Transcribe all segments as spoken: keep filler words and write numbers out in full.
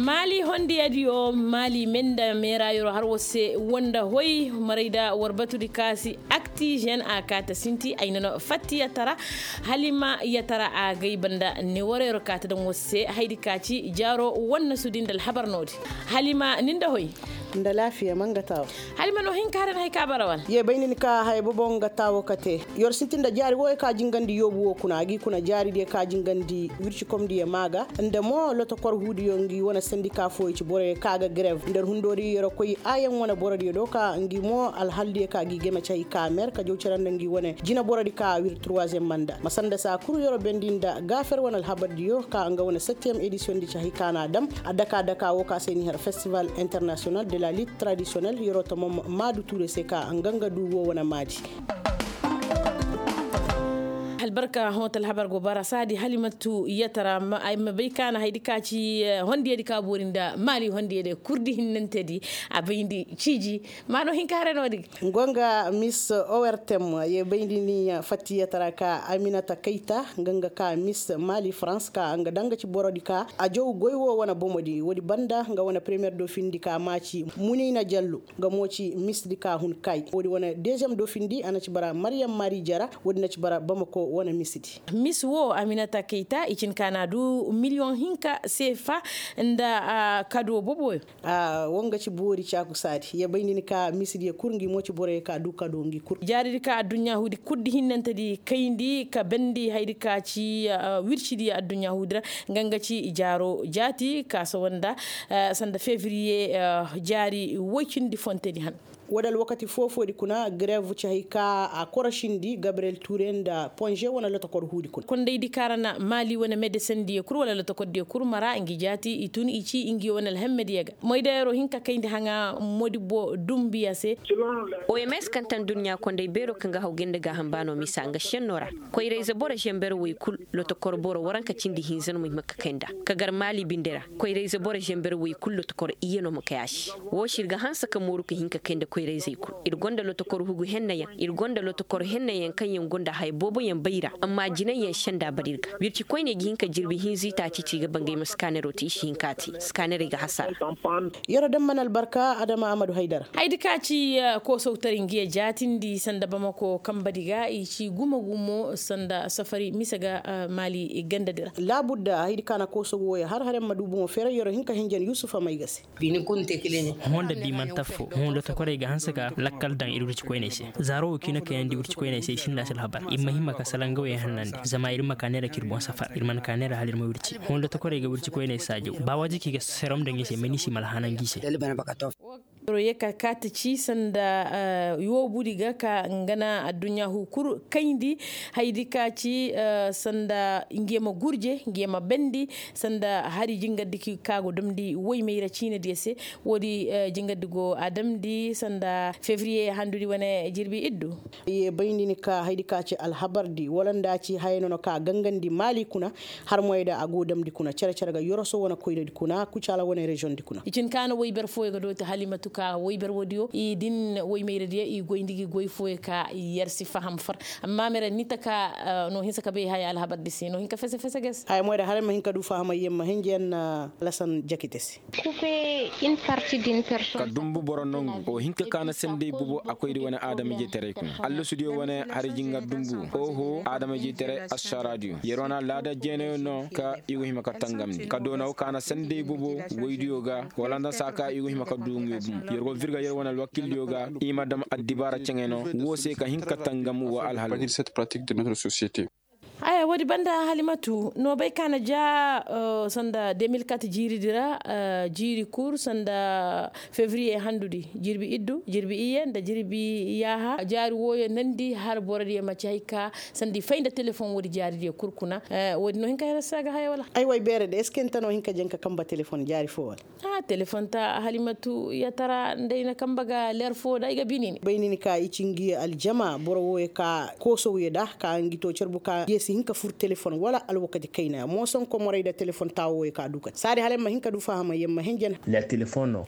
Maali hondiya diyo maali menda meera yoro har war se wanda hoy maray da war batudi kaasi akti zen a kaata sinti ay nano fatti yatara. Halima yatara a gay banda ne wara yoro kaata daŋ war se haydi kaaci jaaro wanna sudi nda alhabar noodi. Halima nin da hoy. Nda laafiya man ga taawo. Halima no hin ka haran hay ka bara wala. Ye bay nin ka hay bobo nga taawo kate. Yor sintin da jaari wo ka jingandi yoobu wo kuna a gi kuna jaari diya ka jingandi wirci komdi ye maaga nda mo lotokor huudiyo ngi wane sandika fooyo ci boroyo ka ga grev nda yer hundoodi yer koy aayaŋ wane borodiyo do ka ngi mo alhaldiyo ka gi game ci hay ka mer ka jaw cere nda ngi wane jina borodi ka wir troisième manda ma sanda saa kul yer bendi nda gaafer wane alhabardiyo ka nga wane septième édition di ci hay ka na a dam a daka daka wo ka se ni har festival international de la lutte traditionnelle yer tamam maadu tuure se ka nga nga du wo wane maadi. Albarka hoto alhabar go bara saadi halimatu yatara ay ma bay kaana haydi ka ci hondiyadi ka boori nda maali hondiyadi kurdi hinnantedi a bayndi ciiji. Ma no hinka hare no digi. Ngonga miss owertem ye bayndi ni fatti yatara ka aminata kayta nga nga ka miss maali france ka nga danga ci borodi ka a jow goy wo wane bomodi woodi banda nga wane première do findi ka maaci munina jallo. Nga mo ci misdi ka hun kay woodi wane deuxième do findi a na ci bara maryam mari jara woodi na ci bara bamako wane misdi. Mis wo aminata kayta i cin ka na du miliyoŋ hinka seefa nda kado boboyo. Wo nga ci boori caaku saadi ye bay ni ni ka misdi ye kul ngi mo ci boroyo ka du kado ngi kul. Jaaridi ka adduɲɲa huudi kuddi hinnante di kayndi ka bendi haydi ka ci wircidi adduɲɲa huudi ra. Nga nga ci jaaro jaati ka sawanda sanda fevriye jaari woy cindi fontedi han. Wala alwakati foofoodi kuna grev ci hay ka a korosindi gabriel ture nda ponge wane lotokor huudi kuna kondaydi ka ra na maali wane medesendiyo kul wala lotokordiyo kul mara ngi jaati i tun i ci ngi wane alhemmediyo ga moydayaro hinka kayndi haŋa modibbo dumbiya se. Oms kaŋ taŋ duɲɲa konday beero kaŋ ga haw gay nda gaaham baano misa nga šenno ra. Koyrayze boro zember woy kul lotokor boro waranka cindi hinza no ma hima ka kay nda ka gar maali binde ra. Koyrayze boro zember woy kul lotokor iyye no ma kay a se. Woo se ir ga hanse ka mooru ka hin ka kay nda koyrayzey kul. Ir gonda lotokor hugu hennayaŋ ir gonda lotokor hennayaŋ kaŋ yaŋ gonda haya booboyaŋ bay ra. Amma jinayyaŋ senda bara ir ga wirci koyney ga hin ka jirbi hinza itaaci te i ga bangay ma skanero te i si hin ka te skanerey ga hasara. Yero daŋ mana albarka adama amadu haydara. Haydi ka ci koosowtaray ngiya jaatindi sanda bamako kambadi ga i ci gumo gumo sanda safari mise ga maali gandadi ra. Laabudda haydi ka na koosow wooyo har har yamma du boŋo feeray yero hin ka hinjan yusufa may ga se. Hõ nda di man taffo hõ nda tokoray ga hanse ka lakkal daŋ ir wirci koyney se. Zaaro wo kiina kayandi wirci koyney se i sinda se alhabar ir ma hima ka sala nga wo yaŋ hannandi zama ir ma ka neera k'ir boŋ safar ir mana ka neera hala ir ma wirci hõ nda tokoray ga wirci koyney saajaw ba waaji kaŋ i ga serom daŋ i se mani si ma alhanan ga i se. Ro ye ka kaati ci sanda yoobudi ga ka nga na adduɲɲa hu kul kayndi haydi ka ci sanda nge ma gurje nge ma bendi sanda hari jingardi ka go damndi woy mayra ciinadiyo se. Woodi jingardi go a damndi sanda fevriye handudi wane jirbi iddu. Ye bayndi ni ka haydi ka ci alhabardi wala nda ci haya no no ka gangandi maali kuna. Har moyda a go damndi kuna cere cere ga yoroso wane koynadi kuna kucaala wane reziyoŋdi kuna. I cin ka na woyber fooyo ga dooti halimatu ka woyber woodiyo i din woymayradiyo i goyndi gi goy fooyo ka yer si faham far. Amma mere ni taka no hinsa ka bay haya alhabardi se no hin ka fese fese ga se. Haya moyda har ma hin ka du fahamay yer ma hinja yer na lasan jakite se. Ka dumbu boro nongu o hinka ka na sendey bubo a koyri wane adama-ijetaray kuna allasudiyo wane hari jingar dumbu oho adama-ijetaray assaradiyo yer wane alaada jeenayo no ka i go hima ka tangamndi ka doonaw ka na sendey bubo woydiyo ga wala nda saa ka i go hima ka du nguyo bumo yer go virga yer wane alwakildiyo ga i ma dam addibaara ceŋey no woo se ka hin ka tangam wa alhal. Haya woodi banda halimatu no bay ka na ja sanda deux mille quatre jiiridi ra jiiri kul sanda fevriye handudi jirbi iddu jirbi iyye nda jirbi yaaha jaari wooyo nandi har borodiyo ma ci hay ka sanda i fay nda telefoŋ woodi jaaridiyo kul kuna. Woodi no hin ka hera se a ga haya wala? Ay way beere de est ce que nta no hin ka jaŋ ka kamba telefoŋ jaari foo wala? Telefoŋ ta halimatu yatara nda ay na kamba ga leer foo nda ay ga binini bay nin ka i ci ngi aljama boro wooyo ka koosowyo nda ka ngi to carbu ka ngi si hin ka. Fur telefon wala alwakati kayna mooson komorey nda telefon taawo wey ka du kate saadi hala yamma hin ka du fahamay yamma hin jana.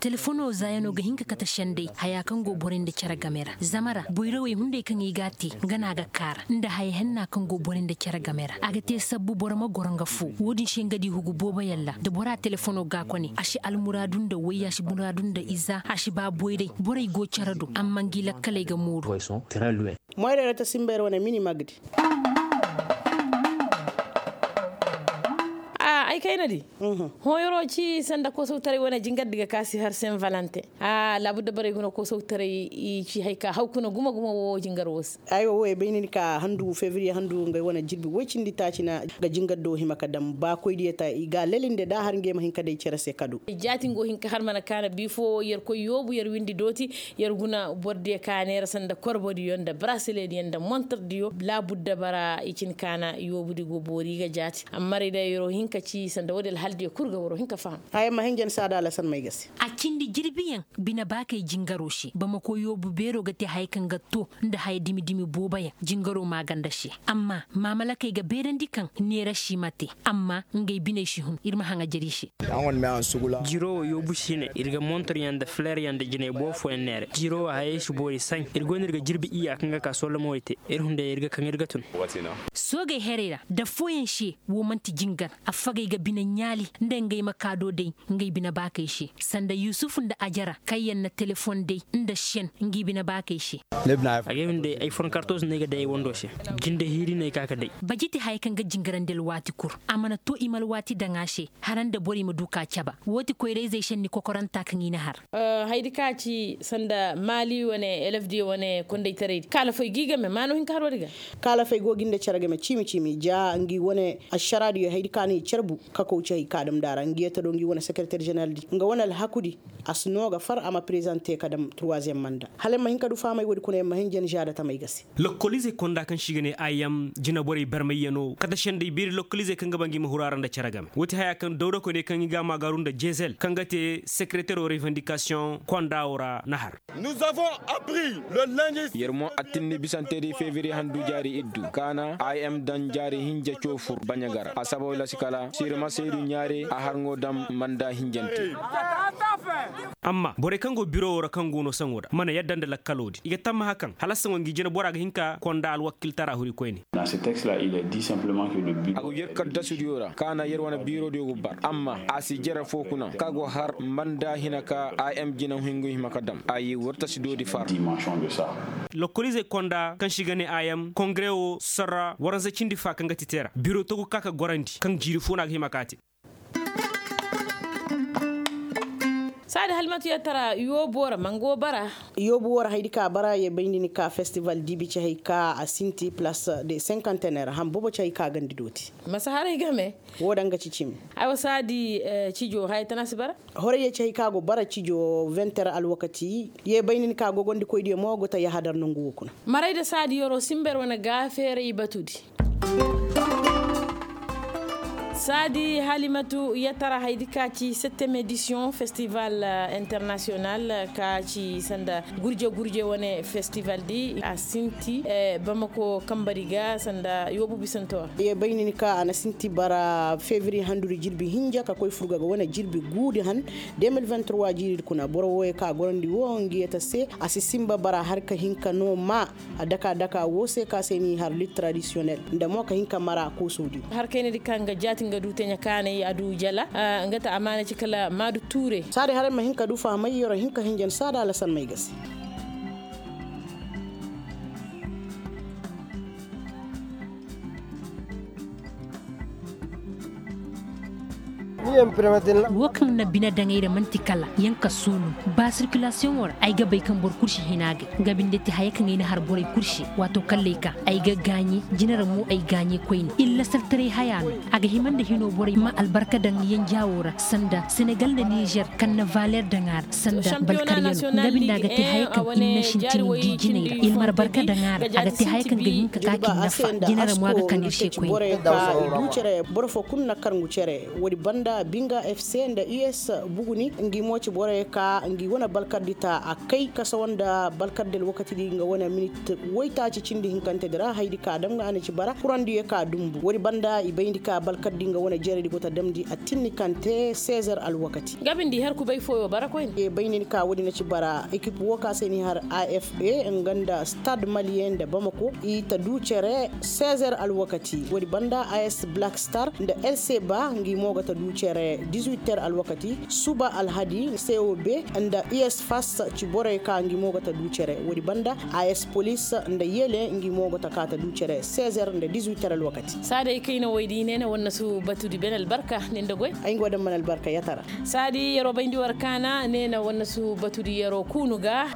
Telefono zaayanoo ga hin ka kate sendey hayaa kaŋ go borey nda cere game ra zama ra boyrawey hunday kaŋ i g'a te nga no a ga kaara nda haya henna kaŋ go borey nda cere game ra a ga te sabbu boro ma goro nga foo woo-din se nga di hugu booboyaŋ ra da bora telefono ga a kone a si almuraadu nda wayya a si muraadu nda iza a si ba boyray borey go cere do amma ngi lakkaley ga mooru. Moyray ra ta simba yer wane mini magdi. Ay kayna di. Hooyaroo ci sanda koosawtaray wane jingardi ga ka si har sen valante. Laabudda borey guna koosawtaray i ci hay ka haw kuna gumo gumo woo jingaroo se. Aywa woo ye bay ni ni ka handu febriye handu ngey wane jirbi woy cindi taaci na ga jingardi woo hima ka dam ba koydiyo ta i ga a lelinde da a har ngey ma hin ka day cere se ka du. Jaati nga woo hin ka har mana kaana bii foo yer koy yoobu yer windi dooti. Yer guna bordiyo ka neera sanda korbodiyo nda barasileediyo nda montordiyo laabudda bara i cin kaana yoobudi go boori ga jaati amma rey day yeroo hin ka ci sanda woodi alhaldiyo kul ga waroo hin ka faham. Haya ma hin jen saada alasan may ga se. A cindi jirbiyaŋ bine baakey jingaroo se bamako yoobu beeroo ga te haya kaŋ ga too nda haya dimi dimi booboyaŋ jingaroo maaganda se. Amma maamalakey ga beerandi kaŋ neera si ma te. Amma ngey biney si hun ir ma haŋajer i se. Jiroo woo yoobu si ne ir ga montoryaŋ nda fileryaŋ nda jinay boo fooyaŋ neere jiroo woo hayey si boori saɲ ir go no ir ga jirbi iyya kaŋ ga ka solla moori te. Ir hunday ir ga kaŋ ir ga tun. Soogey herey ra da fooyaŋ se woo man'ti jingar. Affagey ga bine ɲaali nda ngey ma kaa do day ngey bine baakey se sanda yusufu nda ajara kaŋyaŋ na telefon day nda sen ngi bine baakey se. Agay hunday ay fornkartoz no ay ga day ay wandoo se. Jinde hiiri no ay ka ka day. Bajiti haya kaŋ ga jingarandi alwaati kul a mana too i ma alwaati daŋ a se. Hara nda borey ma du ka caba woo ti koyra-izey senni kokoranta kaŋ i na har. Haydi ka ci sanda maali wane elefdiyo wane kondaytaraydi kaalafey g'i game maanoo hinka haroo di ga. Kaalafey go g'i nda cere game ciimi ciimi ja ngi wane ašaraadiyo haydi ka no i carbu ka kow ci hay ka dam nda a ra ngi yee ta do ngi wane sekereter ženeraldi nga wane alhakudi. A si noo ga far a ma prezante ka dam turwaziyem manda hala ay ma hin ka du fahamay woodi kuna ay ma hin jen žaada tamey ga se. Lokkoliizey konda kaŋ se i ga ne im jinaborey barmayyanoo kate sendey beeri lokkoliizey kaŋ ga ba ngi ma huru a ra nda cere game woo ti haya kaŋ dawdakoyney kaŋ i ga a maagaaru nda jezel kaŋ ga te sekereteroo revandikasiyoŋ konda woo ra na har. Yer mo attinni bisantedi fevriye handu jaari iddu kaana im daŋ jaari hinja coo fur baɲa ga ra a sababu la si kala sirma seedu ɲaare a har ŋoo daŋ manda hinjante. Amma borey kaŋ go biro woo ra kaŋ go no saŋo ra mana yadda nda lakkaloo di i ga tammaha kaŋ hala saŋo ngi jina bora ga hin ka konda alwakiltara huri koyne. A go yer kaddasudiyo ra kaana yer wane birodiyo go bar amma a si jere foo kuna ka go har manda hina ka im jina hingu hima ka dam a yee wartasidoodi far. Lokoliizey konda kaŋ se i ga ne im kongare woo sarra waranza cindi fa kaŋ ga ti te ra biro togu ka ka gorandi kaŋ jiiri foo no a ga hima ka te. Saadi halimatu yee tara yoobu woo ra ma nga woo bara. Yoobu woo ra haydi ka bara yee bayndi ni ka festival diibi ci hay ka a sinti plas de senkantener ham boobo ci hay ka gandi dooti. Masa haray game. Woo daŋ ga ci cimi. Aywa saadi cijo haya tana si bara. Horay yee ci hay ka go bara cijo venter alwakati yee bayndi ni ka gogondikoydiyo mo go ta yahadar nongu woo kuna. Maray nda saadi yoroo simber wane gaafeeray batudi. Saadi halimatu yatara haydi ka ci septem edisiyoŋ festival internasiyonal ka ci sanda gurje gurje wane festival di a sinti bamako kambari ga sanda yoobu bisanto ra. Ye bay ni ni ka a na sinti bara fevriye handudi jirbi hinja ka koy furga ga wane jirbi guudi han. Deux mille vingt trois jiiridi kuna boro wooyo ka gorandi woo ngi yata se a si sinba bara har ka hin ka no ma. A daka daka woo se ka se n'i har lit tradisiyonel nda mo ka hin ka mara koosoo di. Har kayna di kaŋ ga jaati nga du teɲa kaanay a du jala. Nga ta amaana ci kala maadu tuure. Saadi haray ma hin ka du fahamay yero hin ka hinjan saada alasan may ga se. Woo kaŋ na bine daŋ ay ra man'ti kala yaŋ ka soonu. Ba sirkilasiyoŋo ra ay ga bay kaŋ boro kul si hin a gay. Nga binde ti haya kaŋ ay na har borey kul se. Waato kalley ka ay ga gaaɲe jina ra mo ay gaaɲe koyne iri lasaltaray haya no. A ga hima nda hino borey ma albarka daŋ yanjaawo ra sanda senegal nda nizer kaŋ na valeer daŋ a ra sanda balkaryanoo nga binde a ga te haya kaŋ iri na sintin di jinay ra iri ma albarka daŋ a ra a ga te haya kaŋ ga hin ka ka k'i nafa jina ra mo a ga kaŋ iri se koyne. Boro foo kulu na kar ngu cere woodi banda. binga fc nda us buguni ngi mo ci borey ka ngi wane balkardi ta a kay kasawa nda balkardi alwakati di nga wane minit waytaaci cindi hinkante di ra haydi ka dam nga a na ci bara kurandiyo ka dumbu woodi banda i bayndi ka balkardi nga wane jeredi go ta damndi a tinni kante sezer alwakati. Nga bindi har kubay fooyo bara koyne. Bayndi ni ka woodi na ci bara ekip wo ka se ni har afp nga nda stade maliyen nda bamako i ta du cere sezer alwakati woodi banda as black star nda lcba ngi mo ga ta du cere dix-huit heures alwakati suba alhadi cob nda us fas ci borey ka ngi mo ga ta du cere woodi banda as police nda yele ngi mo ga ta ka ta du cere seize heures nda dix-huit heures alwakati. Saadi ay kayna woy di ne na wannasu batudi ben albarka ne nda goy ay nga wa daŋ man albarka yatara. Saadi yeroo bayndi war kaana ne na wannasu batudi yeroo kuunu ga.